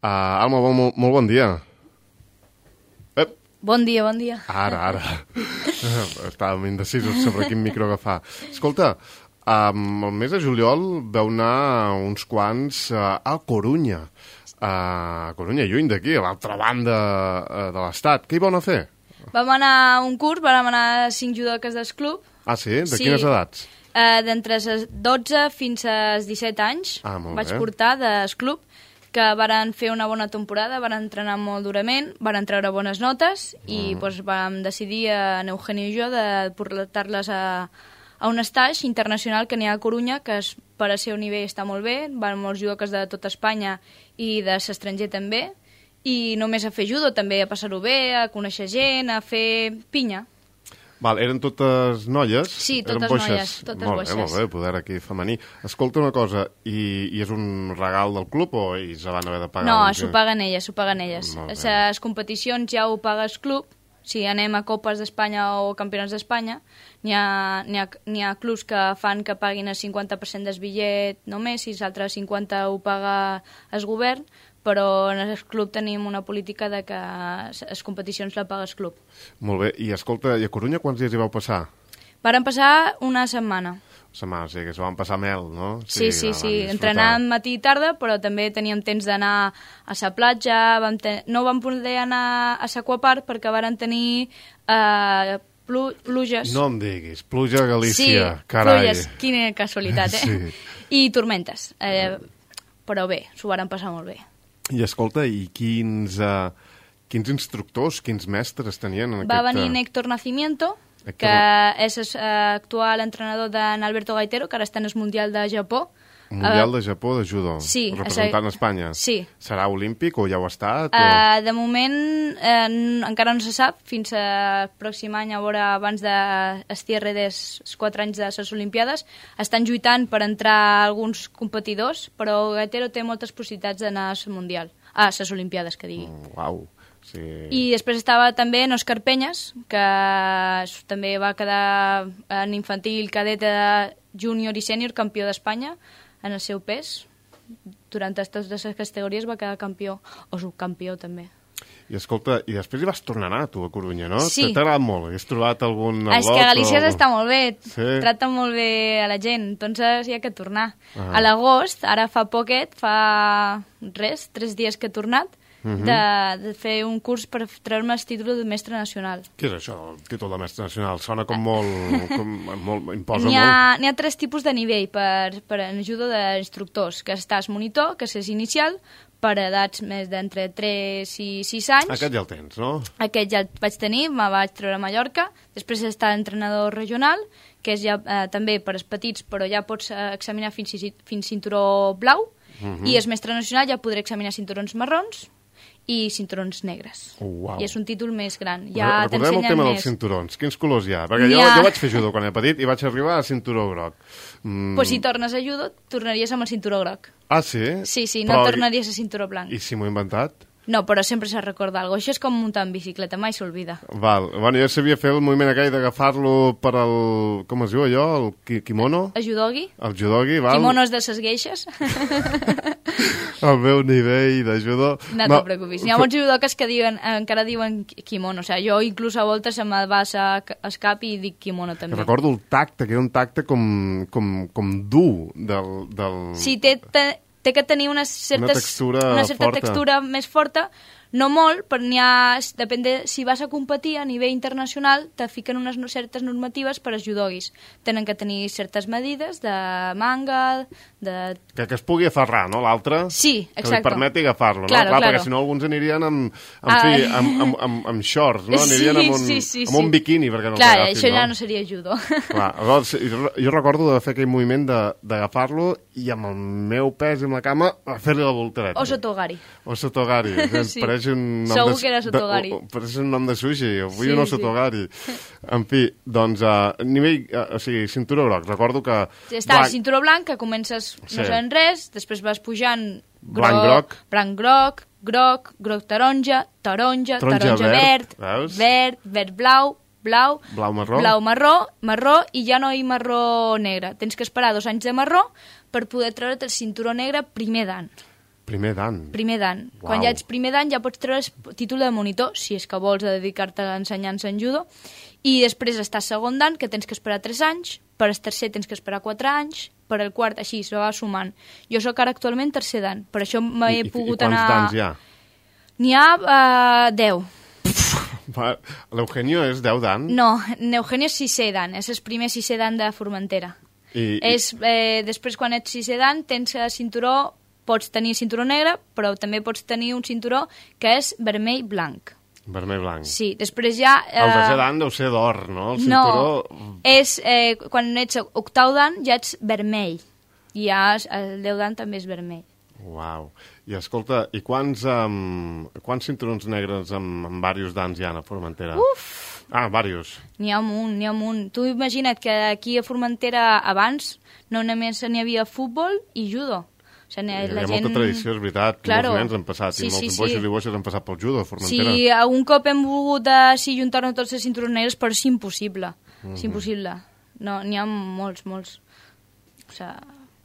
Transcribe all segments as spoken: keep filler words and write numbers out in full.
Uh, Alma, molt, molt bon dia. Ep. Bon dia, bon dia. Ara, ara. Estàvem indecisos sobre quin micro agafar. Escolta, um, el mes de juliol vau anar uns quants uh, a Corunya. Uh, a Corunya, lluny d'aquí, a l'altra banda uh, de l'estat. Què hi vau anar a fer? Vam anar a un curs, vam anar a cinc judoques del club. Ah, sí? De sí. Quines edats? Uh, D'entre dotze fins als disset anys. Ah, molt vaig bé. portar del club, que varen fer una bona temporada, varen entrenar molt durament, varen treure bones notes i mm. doncs, vam decidir, en Eugenio i jo, de portar-les a, a un estatge internacional que n'hi ha a Corunya, que es, per a ser un nivell està molt bé, van molts judoques de tota Espanya i de l'estranger també, i només a fer judo, també a passar-ho bé, a conèixer gent, a fer pinya. Val, eren totes noies? Sí, totes eren boixes. noies, totes molt boixes. Bé, molt bé, poder aquí femení. Escolta una cosa, i, i és un regal del club o ells van haver de pagar? No, un... s'ho paguen elles, s'ho paguen elles. Les competicions ja ho paga el club, si anem a Copes d'Espanya o Campionats d'Espanya, n'hi ha, n'hi ha, n'hi ha clubs que fan que paguin el cinquanta per cent del bitllet només, i l'altre cinquanta per cent ho paga el govern, però en el club tenim una política de que les competicions la paga el club. Molt bé, i escolta, i a Corunya quants dies hi vau passar? Varen passar una setmana. Setmana, o sigui que s'ho van passar mel, no? Sí, sí, sí, sí. Entrenàvem matí i tarda, però també teníem temps d'anar a la platja, vam ten... no vam poder anar a l'Aquapark perquè varen tenir eh, plu... pluges. No em diguis, pluja a Galícia, sí, carai. Pluges, quina casualitat, eh? Sí. I tormentes, eh, però bé, s'ho varen passar molt bé. I escolta, i quins, uh, quins instructors, quins mestres tenien en Va aquest... venir Néctor Nacimiento, Héctor... que és l'actual uh, entrenador d'en Alberto Gaitero, que ara està en el Mundial de Japó. Mundial uh, de Japó de judo, sí, representant a Espanya. Sí. Serà olímpic o ja ho ha estat? O... Uh, de moment uh, encara no se sap, fins al pròxim any, a veure, abans del cierre dels quatre anys de les Olimpiades, estan lluitant per entrar alguns competidors, però Gaitero té moltes possibilitats d'anar al Mundial, a les Olimpiades, que digui. Mm, uau. Sí. I després estava també en Òscar Penyes, que també va quedar en infantil, cadet, júnior i sènior, campió d'Espanya en el seu pes. Durant totes les categories va quedar campió, o subcampió també. I escolta, i després hi vas tornar a anar, tu, a Corunya, no? Sí. T'ha agradat molt? Has trobat algun al·lot? És que a Galícia o... està molt bé, sí. Tracta molt bé a la gent, entonces hi ha que tornar. Ah. A l'agost, ara fa poquet, fa res, tres dies que he tornat, Uh-huh. de, de fer un curs per treure-me el títol de mestre nacional. Què és això, el títol de mestre nacional? Sona com molt... Com, molt imposa n'hi ha, molt. N'hi ha tres tipus de nivell per, per en ajuda d'instructors, que estàs monitor, que és inicial, per edats més d'entre tres i sis anys. Aquest ja el tens, no? Aquest ja el vaig tenir, me vaig treure a Mallorca. Després està l'entrenador regional, que és ja eh, també per als petits, però ja pots eh, examinar fins, fins cinturó blau. Uh-huh. I el mestre nacional ja podré examinar cinturons marrons i cinturons negres. Oh, wow. I és un títol més gran. Ja recordem el tema més... dels cinturons. Quins colors hi ha? Perquè jo, ha... jo vaig fer judo quan era petit i vaig arribar a cinturó groc. Mm. Pues si tornes a judo, tornaries amb el cinturó groc. Ah, sí? Sí, sí, no Però... tornaries a cinturó blanc. I si m'ho he inventat? No, però sempre s'ha recordat alguna cosa. Això és com muntar en bicicleta, mai s'olvida. Val. Bueno, jo sabia fer el moviment aquell d'agafar-lo per al... Com es diu allò? El kimono? El judogi. El judogi, val. Kimonos de ses geixes. El meu nivell de judo... No te'n preocupis. Hi ha molts judoques que diuen, encara diuen kimono. O sigui, jo inclús a voltes se me va al cap i dic kimono també. Recordo el tacte, que era un tacte com, com, com dur del... del... Sí, té... té té que tenir una, certes, una, textura una certa forta. textura més forta, no molt, però n'hi ha, depèn de si vas a competir a nivell internacional, te fiquen unes certes normatives per als judogis. Tenen que tenir certes medides de manga, de... Que, que es pugui aferrar, no, l'altre? Sí, exacte. Que li permeti agafar-lo, no? Claro, Clar, claro. Perquè si no alguns anirien amb, amb, fi, amb, amb, amb, amb shorts, no? Anirien sí, amb un, sí, sí, amb un sí. biquini perquè no Clar, l'agafin, això no? ja no seria judo. Clar, llavors, jo recordo de fer aquell moviment d'agafar-lo i amb el meu pes i amb la cama fer-li la voltereta. O sotogari. O sotogari. Sí. Pareix un nom Segur de, que era sotogari. De, pareix un nom de sushi. Vull sí, un sotogari. Sí. En fi, doncs, a uh, nivell, uh, o sigui, cinturó groc. Recordo que... Sí, està blanc... cinturó blanc, que comences no sí. sabent res, després vas pujant... Blanc groc. Blanc groc, groc, groc taronja, taronja, taronja, taronja verd, verd, verd, verd blau, blau, blau marró. blau marró, marró i ja no hi marró negre. Tens que esperar dos anys de marró per poder treure't el cinturó negre primer dan. primer dan. Primer dan. Uau. Quan ja ets primer dan ja pots treure el títol de monitor, si és que vols dedicar-te a l'ensenyança en judo, i després estàs segon dan, que tens que esperar tres anys, per el tercer tens que esperar quatre anys, per el quart així, se va sumant. Jo sóc ara actualment tercer dan, per això m'he I, pogut i, i anar... quants dans hi ha? N'hi ha uh, deu. L'Eugenio és deu dan? No, n'Eugenio és sisè dan, és el primer sisè dan de Formentera. I, És, eh, després, quan ets sisè dan, tens el cinturó, pots tenir cinturó negre, però també pots tenir un cinturó que és vermell-blanc. Vermell-blanc. Sí, després ja... Eh, El desè dan deu ser d'or, no? El cinturó... No, és, eh, quan ets octau dan ja ets vermell. I ja el deu dan també és vermell. Uau. I escolta, i quants, um, quants cinturons negres amb, amb diversos dans hi ha a Formentera? Uf! Ah, diversos. N'hi ha un munt, n'hi ha un munt. Tu imagina't que aquí a Formentera abans no només n'hi havia futbol i judo. O sigui, Hi ha la gent... molta tradició, és veritat. Claro. Molts nens han passat, Sí, i molts sí, boixos sí. i boixes han passat pel judo a Formentera. Si algun cop hem volgut de, sí, juntar-nos tots els cinturons negres, però és impossible. Mm-hmm. És impossible. No, n'hi ha molts, molts. O sigui,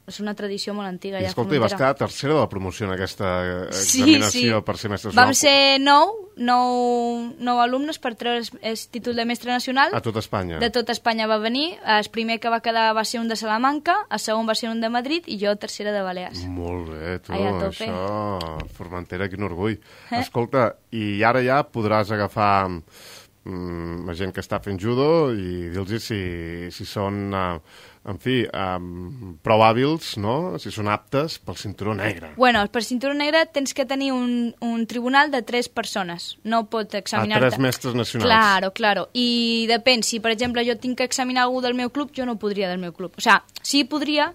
és una tradició molt antiga. I ja escolta, i vas quedar tercera de la promoció en aquesta sí, examinació sí. per ser mestre Vam nacional. ser nou, nou, nou alumnes per treure el títol de mestre nacional. A tot Espanya. De tot Espanya va venir. El primer que va quedar va ser un de Salamanca, el segon va ser un de Madrid i jo tercera de Balears. Molt bé, tu, Ai, a tope. això, Formentera, quin orgull. Eh? Escolta, i ara ja podràs agafar mm, la gent que està fent judo i dir-los si, si són, uh, en fi, um, prou hàbils, no? Si són aptes pel cinturó negre. Bueno, per cinturó negre tens que tenir un, un tribunal de tres persones. No pot examinar-te... A tres mestres nacionals. Claro, claro. I depèn, si per exemple jo tinc que examinar algú del meu club, jo no podria del meu club. O sigui, sí podria,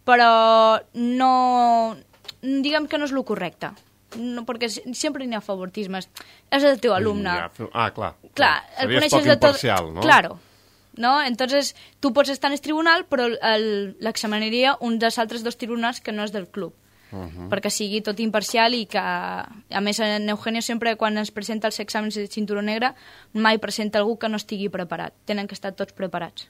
però no... Diguem que no és el correcte. No, perquè sempre n'hi ha favoritismes. És el teu alumne. Ja, ah, clar. Clar, el Series coneixes poc de tot... imparcial, no? Claro. ¿No? Entonces, tu pots estar en el tribunal, però l'examinaria un dels altres dos tribunals que no és del club. Uh -huh. Perquè sigui tot imparcial i que, a més, en Eugenio sempre, quan ens presenta els exàmens de cinturó negre, mai presenta algú que no estigui preparat. Tenen que estar tots preparats.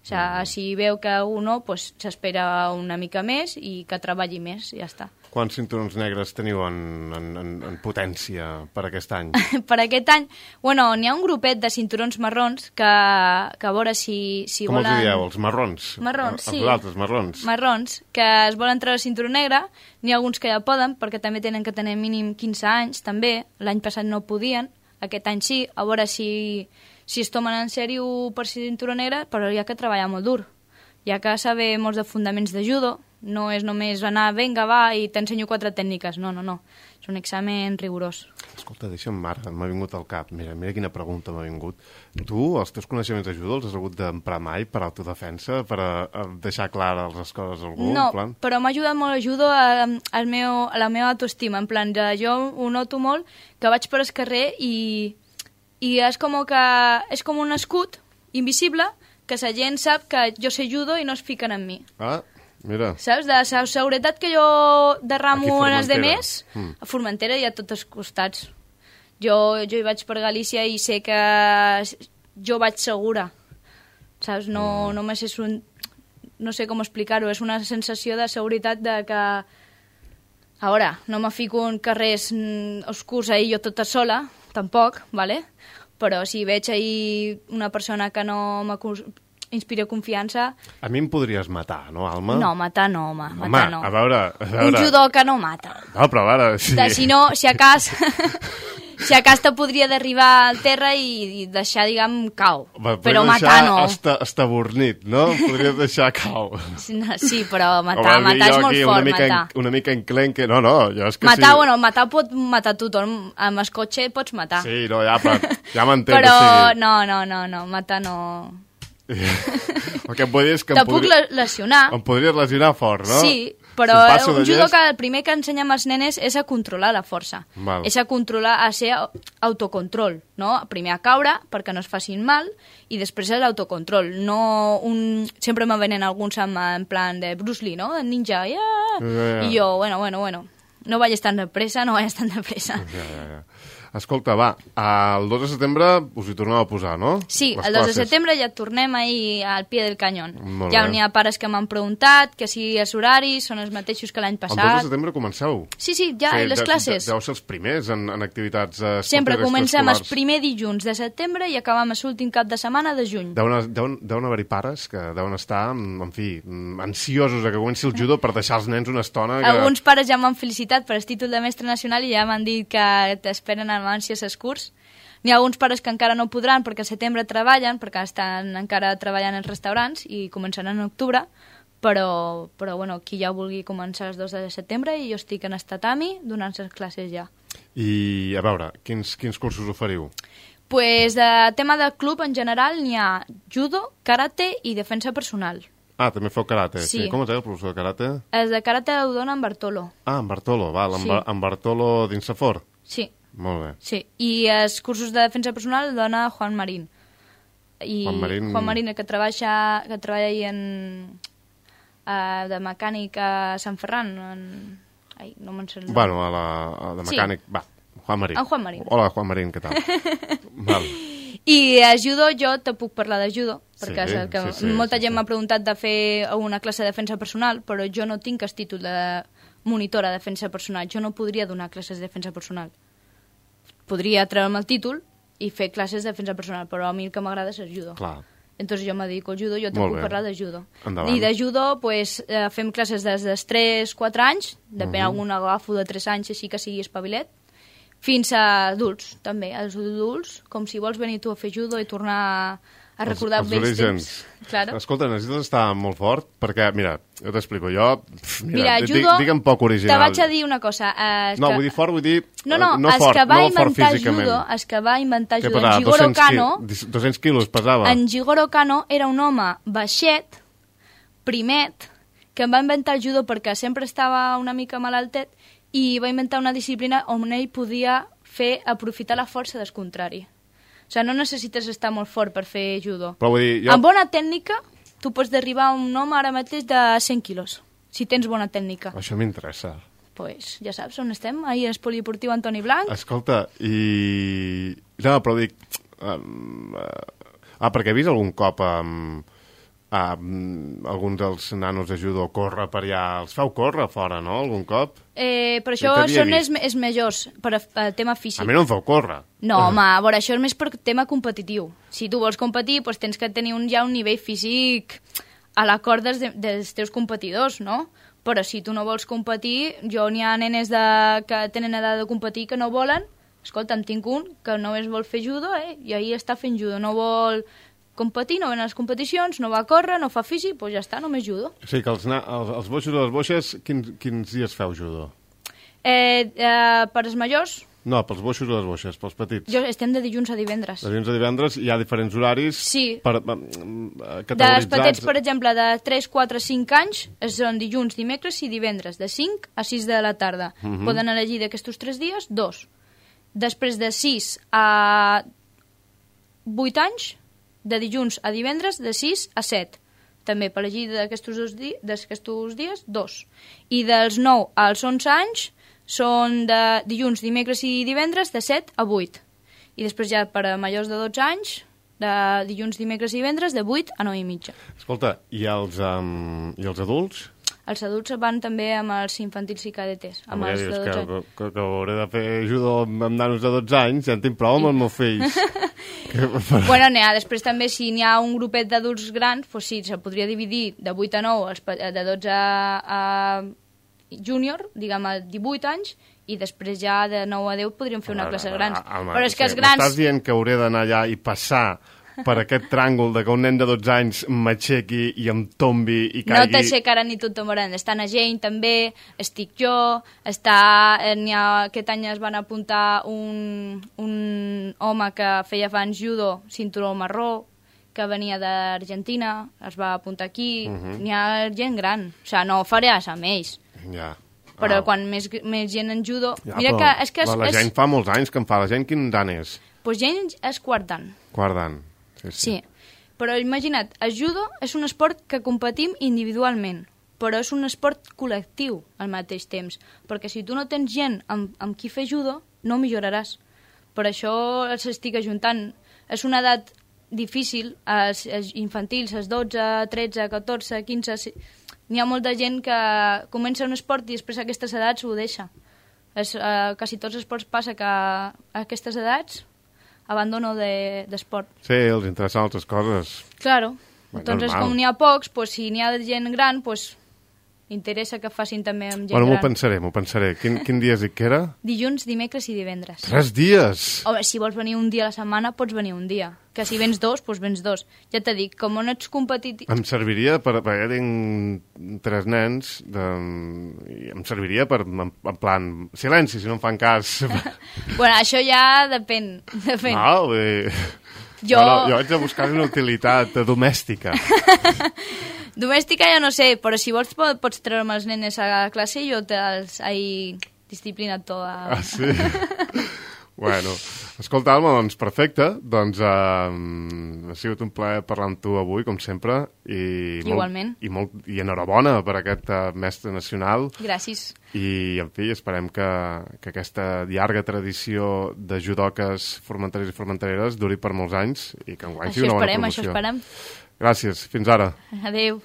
O sigui, uh -huh. si veu que algú no, pues, s'espera una mica més i que treballi més, i ja està. Quants cinturons negres teniu en, en, en, en potència per aquest any? Per aquest any, bueno, n'hi ha un grupet de cinturons marrons que, que a veure si, si Com volen... els dieu, els marrons? Marrons, sí. Els altres, marrons. Marrons, que es volen treure el cinturó negre. N'hi ha alguns que ja poden, perquè també tenen que tenir mínim quinze anys, també. L'any passat no podien, aquest any sí. A veure si, si es tomen en sèrio per cinturó negre, però hi ha que treballar molt dur. Hi ha que saber molts de fundaments de judo. No és només anar, vinga, va, i t'ensenyo quatre tècniques. No, no, no. És un examen rigorós. Escolta, deixa'm, ara, m'ha vingut al cap. Mira, mira quina pregunta m'ha vingut. Tu, els teus coneixements de judo els has hagut d'emprar mai per autodefensa, per a, a deixar clares les coses a algú? No, en plan? però m'ha ajudat molt el judo a, a, meu, a la meva autoestima. En plan, de, jo ho noto molt, que vaig per el carrer i, i és com que és com un escut invisible que la gent sap que jo sé judo i no es fiquen en mi. Ah, mira. Saps? De la seguretat que jo derramo en els Formentera. demés, mm. a Formentera hi ha a tots els costats. Jo, jo hi vaig per Galícia i sé que jo vaig segura. Saps? No, mm. només és un... No sé com explicar-ho, és una sensació de seguretat de que... A veure, no me fico en carrers oscurs ahir jo tota sola, tampoc, ¿vale? Però si veig ahir una persona que no m'inspira confiança... A mi em podries matar, no, Alma? No, matar no, home, home matar no. a veure, a veure... Un judoka no mata. No, però a veure... Si, de, si no, si a cas... si a cas te podria derribar al terra i, i deixar, diguem, cau. Va, però matar no. Hasta, hasta bornit, no? Podries deixar cau. No, sí, però matar, Home, matar és molt aquí, fort, una mica matar. En, una mica enclenque... No, no, jo és que matar, sí. bueno, matar pot matar tothom. Amb el cotxe pots matar. Sí, no, ja, però, ja m'entens. Però o sigui... no, no, no, no, matar no... El que em vull dir és que... Te em puc podria... lesionar. Em podries lesionar fort, no? Sí, però si un llest... judoka, el primer que ensenyem als nenes és a controlar la força. Val. És a controlar, a ser autocontrol, no? Primer a caure perquè no es facin mal i després l'autocontrol. No un... Sempre me venen alguns amb, en plan de Bruce Lee, no? El ninja, yeah! Ja, ja. I jo, bueno, bueno, bueno, no vayas tan depresa, no vayas tan depresa. Ja, ja, ja. Escolta, va, el dos de setembre us hi torneu a posar, no? Sí, Les el dos de classes. setembre ja tornem ahir al pie del canyón. Molt Ja bé. n'hi ha pares que m'han preguntat que si els horaris són els mateixos que l'any El dos passat. de setembre comenceu. Sí, sí, ja, Sí, les de- classes. de- Deu ser els primers en, en activitats eh, Sempre esportives comencem el extraescolars. primer dilluns de setembre i acabem l'últim cap de setmana de juny. Deuen, deuen, deuen haver-hi pares que deuen estar, en fi, ansiosos a que comenci el judo per deixar els nens una estona. Que... Alguns pares ja m'han felicitat per el títol de mestre nacional i ja m'han dit que t'esperen amb ànsies els curs. N'hi ha alguns pares que encara no podran perquè al setembre treballen, perquè estan encara treballant als restaurants i començaran en octubre, però, però bueno, qui ja vulgui començar el dos de setembre i jo estic en el tatami donant les classes ja. I, a veure, quins, quins cursos oferiu? Pues de tema de club en general n'hi ha judo, karate i defensa personal. Ah, també feu karate. Sí. Com es deia el professor de karate? Els de karate ho dona en Bartolo. Ah, en Bartolo, val, en, Sí. Bar en Bartolo d'Insafor. Sí, Molt bé. sí. I els cursos de defensa personal el dona Juan Marín. I Juan Marín- Juan Marín, que treballa, que treballa ahí en, uh, de mecànic a Sant Ferran. En... Ai, no me'n sé el nom. Bueno, a la, a de Sí. mecànic, va, Juan Marín. En Juan Marín. Hola, Juan Marín, què tal? val. I a judo, jo te puc parlar de judo, perquè Sí, és el que sí, sí, molta sí, gent sí. m'ha preguntat de fer una classe de defensa personal, però jo no tinc el títol de monitora de defensa personal. Jo no podria donar classes de defensa personal. Podria treure'm el títol i fer classes de defensa personal, però a mi el que m'agrada és el judo. Clar. Entonces jo me dedico al judo, jo te Molt puc bé. parlar de judo. Endavant. I de judo, pues, eh, fem classes des dels tres quatre anys, depèn, uh -huh. algun agafo de tres anys, així que sigui espavilet, fins a adults, també. Els adults, com si vols venir tu a fer judo i tornar a recordar els, els vells orígens. temps. Claro. Escolta, necessites estar molt fort, perquè, mira, jo t'explico, jo... pf, Mira, di- judo, digue'm poc original. te vaig a dir una cosa. Eh, No, que... vull dir fort, vull dir... No, no, eh, no els fort, que va no fort inventar físicament. judo, els que va inventar Què judo, pesava? en Jigoro dos cents Kano, qui- dos-cents quilos pesava. en Jigoro Kano era un home baixet, primet, que va inventar el judo perquè sempre estava una mica malaltet i va inventar una disciplina on ell podia fer aprofitar la força del contrari. O sigui, no necessites estar molt fort per fer judo. Però vull dir, jo... Amb bona tècnica, tu pots derribar un home ara mateix de cent quilos, si tens bona tècnica. Això m'interessa. Pues ja saps on estem, ahir al polideportiu Antoni Blanc. Escolta, i... No, però dic... Um, uh... Ah, perquè he vist algun cop um, um, alguns dels nanos de judo córrer per allà... Els feu córrer fora, no?, algun cop? Eh, però Sí, això t'havia són els, vist. els majors, per a, tema físic. A mi no em feu córrer. No, home, a veure, això és més per tema competitiu. Si tu vols competir, doncs tens que tenir un, ja un nivell físic a l'acord dels, de- dels teus competidors, no? Però si tu no vols competir, jo n'hi ha nenes de, que tenen edat de competir que no volen. Escolta, en tinc un que només vol fer judo, eh? I ahir està fent judo. No vol competir, no ven a les competicions, no va a córrer, no fa físic, doncs ja està, només judo. O sigui que els, na... els, els boixos i les boixes, quins, quins dies feu judo? Eh, eh, per als majors, No, pels boixos i les boixes, pels petits. jo estem de dilluns a divendres. De dilluns a divendres hi ha diferents horaris Sí. per, per, Dels categoritzats. petits, per exemple, de tres, quatre, cinc anys, són dilluns, dimecres i divendres, de cinc a sis de la tarda. Uh -huh. Poden elegir d'aquests tres dies, dos. Després de sis a vuit anys, de dilluns a divendres, de sis a set. També per elegir d'aquests dos di d'aquests dies, dos. I dels nou als onze anys, són de dilluns, dimecres i divendres, de set a vuit. I després ja per a majors de dotze anys, de dilluns, dimecres i divendres, de vuit a nou i mitja. Escolta, i els, um, i els adults? Els adults van també amb els infantils i cadetes, amb Home, els ja de dius dotze que, anys. que, que hauré de fer judo amb nanos de dotze anys, ja en tinc prou amb els meus fills. que, Bueno, n'hi ha, després també, si n'hi ha un grupet d'adults grans, doncs sí, se podria dividir de vuit a nou, els pe- de dotze a júnior, diguem, a divuit anys, i després ja de nou a deu podríem fer una classe grans. Home, Però és que sí, els grans... M'estàs dient que hauré d'anar allà i passar per aquest tràngol de que un nen de dotze anys m'aixequi i em tombi i No caigui... t'aixecaran ni tot tomaran. Està na Jane també, estic jo, està, eh, n'hi ha, aquest any es van apuntar un, un home que feia abans judo, cinturó marró, que venia d'Argentina, es va apuntar aquí, uh -huh. n'hi ha gent gran, o sigui, no faràs amb ells, Ja. però Ah. quan més, més gent en judo... Ja, Mira però que és que... És, la, la és, gent fa molts anys que em fa. La gent quin dan és? pues gent és quart dan. Guardant. Sí, sí. Sí, però imagina't, el judo és un esport que competim individualment, però és un esport col·lectiu al mateix temps, perquè si tu no tens gent amb, amb qui fer judo, no milloraràs, Per això els estic ajuntant. És una edat difícil, els, els infantils, els dotze, tretze, catorze, quinze... N'hi ha molta gent que comença un esport i després a aquestes edats ho deixa. És, eh, quasi tots els esports passa que a aquestes edats abandono d'esport. De, sí, els interessen altres coses. Claro. Bueno, Entonces, normal. com n'hi ha pocs, pues, si n'hi ha gent gran, pues, interessa que facin també amb gent bueno, gran. M'ho pensaré, m'ho pensaré. Quin, quin dia és que era? Dilluns, dimecres i divendres. Tres dies! Home, si vols venir un dia a la setmana, pots venir un dia. Que si vens dos, doncs vens dos. Ja t'he dit, com no ets competitiu... Em serviria, per, perquè tinc tres nens, de, i em serviria per, en, en plan, silenci, si no em fan cas. bueno, això ja depèn. depèn. No, vull dir... Jo... No, no, jo haig de buscar una utilitat domèstica. Domèstica ja no sé, però si vols pots treure'm els nenes a la classe i jo te'ls he disciplinat toda. Ah, sí? Bueno, escolta, Alma, doncs perfecte. Doncs eh, ha sigut un plaer parlar amb tu avui, com sempre. I Igualment. Molt, i, molt, I enhorabona per aquest uh, mestre nacional. Gràcies. I, en fi, esperem que, que aquesta llarga tradició de judoques formenteres i formentereres duri per molts anys i que enguany sigui una bona esperem, promoció. això esperem. Gràcies. Fins ara. Adéu.